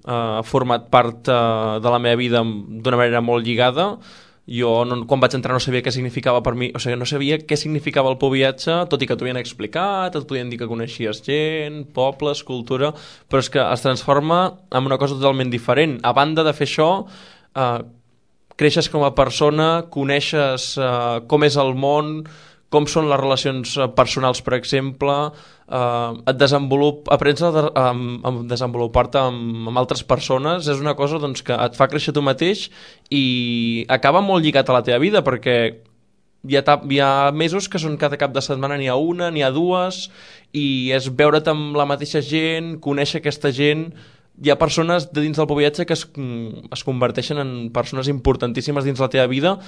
ha format part de la meva vida d'una manera molt lligada. Jo, quan vaig entrar, no sabia què significava per mi, o sigui, no sabia què significava el Poviatge, tot i que t'ho havien explicat, et podien dir que coneixies gent, pobles, cultura, però és que es transforma en una cosa totalment diferent. A banda de fer això, creixes com a persona, coneixes com és el món, com són les relacions personals, per exemple, aprens a desenvolupar-te amb altres persones. És una cosa doncs, que et fa créixer tu mateix i acaba molt lligat a la teva vida, perquè hi ha mesos que són cada cap de setmana, n'hi ha una, n'hi ha dues, i és veure't amb la mateixa gent, conèixer aquesta gent. Hi ha persones de dins del Poviatge que es converteixen en persones importantíssimes dins la teva vida